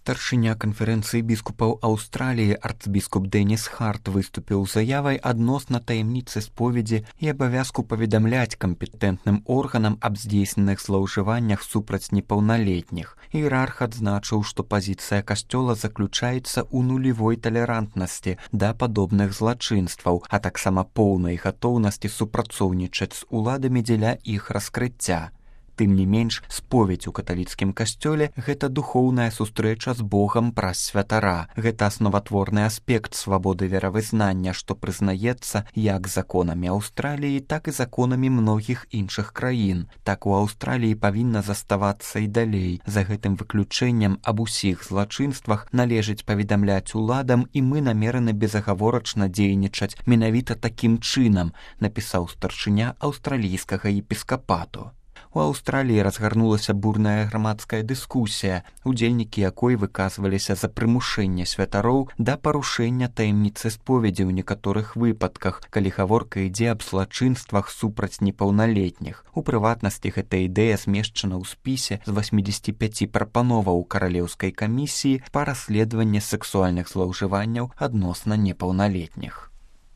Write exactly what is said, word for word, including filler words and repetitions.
Старшыня канферэнцыі біскупаў Аўстраліі арцбіскуп Дэніс Харт выступіў з заявай адносна таямніцы споведзі і абавязку паведамляць кампетэнтным органам аб здзейсненых злоўжываннях супраць непаўналетніх. Іерарх адзначыў, што пазіцыя касцёла заключаецца ў нулевой талерантнасці да падобных злачынстваў, а таксама поўнай гатоўнасці супрацоўнічаць з уладамі дзеля іх раскрыцця. Тым не менш, споведь у каталіцкім касцёле – гэта духоўная сустрэча з Богам праз святара. Гэта асноватворны аспект свабоды веравызнання, што прызнаецца як законамі Аўстраліі, так і законамі многіх іншых краін. Так у Аўстраліі павінна заставацца і далей. За гэтым выключэннем аб усіх злачынствах належыць паведамляць уладам, і мы намераны безагаворачна дзейнічаць менавіта такім чынам, напісаў старшыня аўстралійскага епіскапату. У Аўстраліі разгарнулася бурная грамадская дыскусія, удзельнікі якой выказваліся за прымушэнне святароў да парушэння таямніцы споведзі ў некаторых выпадках, калі гаворка ідзе аб злачынствах супраць непаўналетніх. У прыватнасці, гэта ідэя змешчана ў спісе з восьмідзесяці пяці прапановаў каралеўскай камісіі па расследаванні сексуальных злоўжыванняў адносна непаўналетніх.